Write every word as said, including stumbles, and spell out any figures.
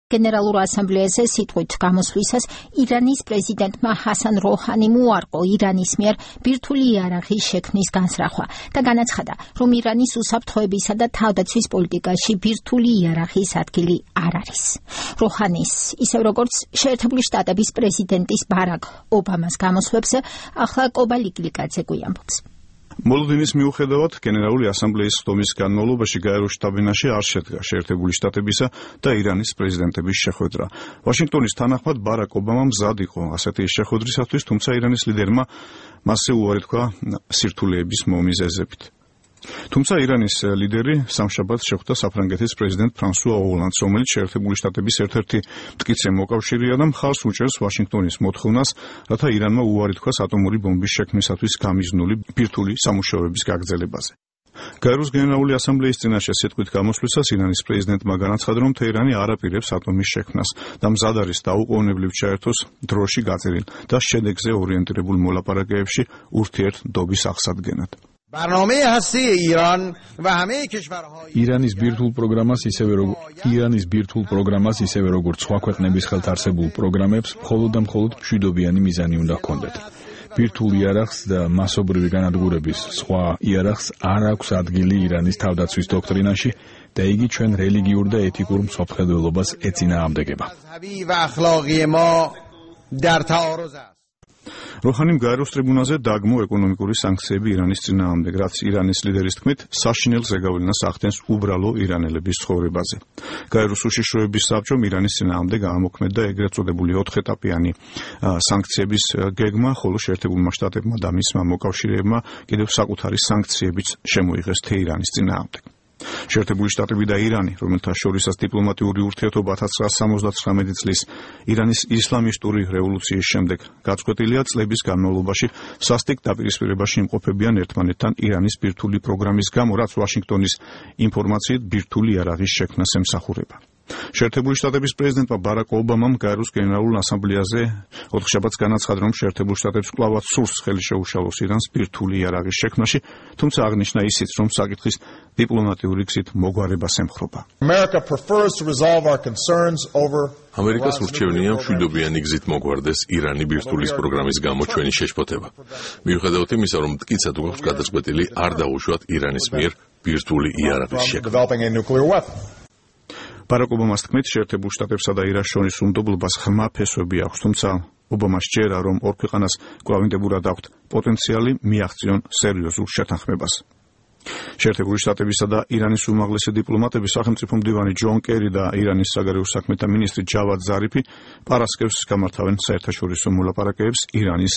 გენერალურ ასამბლეაზე სიტყვით გამოსვლისას ირანის პრეზიდენტმა ჰასან როჰანიმ უარყო ირანის მიერ ბირთვული იარაღის შექმნის განსრახვა და განაცხადა, რომ ირანის უსაფრთხოებისა და თავდაცვის პოლიტიკაში ბირთვული იარაღის ადგილი არ არის. როჰანის, ისევ როგორც შეერთებული შტატების პრეზიდენტის ბარაკ ობამას გამოსვლებზე ახლა კობალი გლიკაძე გვიამბობს. მოლოდინის მიუხედავად, გენერალური ასამბლეის ხდომის განმავლობაში გაეროს შტაბ-ბინაში არ შედგა შეერთებული შტატებისა და ირანის პრეზიდენტების შეხვედრა. ვაშინგტონის თანახმად ბარაკ ობამა მზად იყო ასეთი შეხვედრისათვის, თუმცა ირანის ლიდერმა მასზე უარი თქვა სირთულეების მომიზეზებით. თუმცა ირანის ლიდერი სამშაბათს შეხვდა საფრანგეთის პრეზიდენტ ფრანსუა ოლანდს, რომელიც შეერთებული შტატების ერთ-ერთი მტკიცე მოკავშირეა და მხარს უჭერს ვაშინგტონის მოთხოვნას, რათა ირანმა უარი თქვას ატომური ბომბის შექმნისათვის გამიზნული ბირთვული სამუშაოების გაგრძელებაზე. გაეროს გენერალური ასამბლეის წინაშე სიტყვით გამოსვლისას ირანის პრეზიდენტმა განაცხადა, რომ თეირანი არ აპირებს ატომის შექმნას და მზად არის დაუყოვნებლივ ჩაერთოს დროში გაწერილ და შედეგზე ორიენტირებულ მოლაპარაკებებში ურთიერთდობის აღსადგენად. ირანის ბირთვულ პროგრამას ისევე როგორც ირანის ბირთვულ პროგრამას ისევე როგორც სხვა ქვეყნების ხელთ არსებულ პროგრამებს მხოლოდ და მხოლოდ მშვიდობიანი მიზანი უნდა ჰქონდეთ. ბირთვულ იარაღს და მასობრივი განადგურების სხვა იარაღს არ აქვს ადგილი ირანის თავდაცვის დოქტრინაში და იგი ჩვენ რელიგიურ და ეთიკურ მსოფლმხედველობას ეწინააღმდეგება. როჰანიმ გაეროს ტრიბუნაზე დაგმო ეკონომიკური სანქციები ირანის წინააღმდეგ, რაც ირანის ლიდერის თქმით საშინელ ზეგავლენას ახდენს უბრალო ირანელების ცხოვრებაზე. გაეროს უშიშროების საბჭომ ირანის წინააღმდეგ ამოქმედდა ეგრეთ წოდებული ოთხეტაპიანი სანქციების გეგმა, ხოლო შეერთებულმა შტატებმა და მისმა მოკავშირეებმა კიდევ საკუთარი სანქციებიც შემოიღეს თეირანის წინააღმდეგ. შეერთებული შტატები და ირანი, რომელთა შორისაც დიპლომატიური ურთიერთობა ათას ცხრაასა სამოცდათხრამეტი წლის ირანის ისლამისტური რევოლუციის შემდეგ გაწყვეტილია წლების განმავლობაში სასტიკ დაპირისპირებაში იმყოფებიან ერთმანეთთან ირანის ბირთვული პროგრამის გამო, რაც ვაშინგტონის ინფორმაციით ბირთვული იარაღის შექმნას ემსახურება. შეერთებული შტატების პრეზიდენტმა ბარაკ ობამამ გაეროს გენერალურ ასამბლეაზე ოთხშაბათს განაცხადა, რომ შეერთებულ შტატებს კვლავაც სურს ხელი შეუშალოს ირანს ბირთვული იარაღის შექმნაში, თუმცა აღნიშნა ისიც, რომ საკითხის დიპლომატიური გზით მოგვარებას ემხრობა. ამერიკას ურჩევნია მშვიდობიანი გზით მოგვარდეს ირანი ბირთვულის პროგრამის გამო ჩვენი შეშფოთება. მიუხედავად იმისა, რომ მტკიცად გვაქვს გადაწყვეტილი არ დაუშვათ ირანის მიერ ბირთვული იარაღის შექმნა. ბარაკ ობამას თქმით, შეერთებულ შტატებსა და ირანს შორის უნდობლობას ღრმა ფესვები აქვს, თუმცა ობამა სჯერა, რომ ორ ქვეყანას კვლავინდებურად აქვთ პოტენციალი მიაღწიონ სერიოზულ შეთანხმებას. შეერთებული შტატებისა და ირანის უმაღლესი დიპლომატები, სახელმწიფო მდივანი ჯონ კერი და ირანის საგარეო საქმეთა მინისტრი ჯავად ზარიფი პარასკევს გამართავენ საერთაშორისო მოლაპარაკებებს ირანის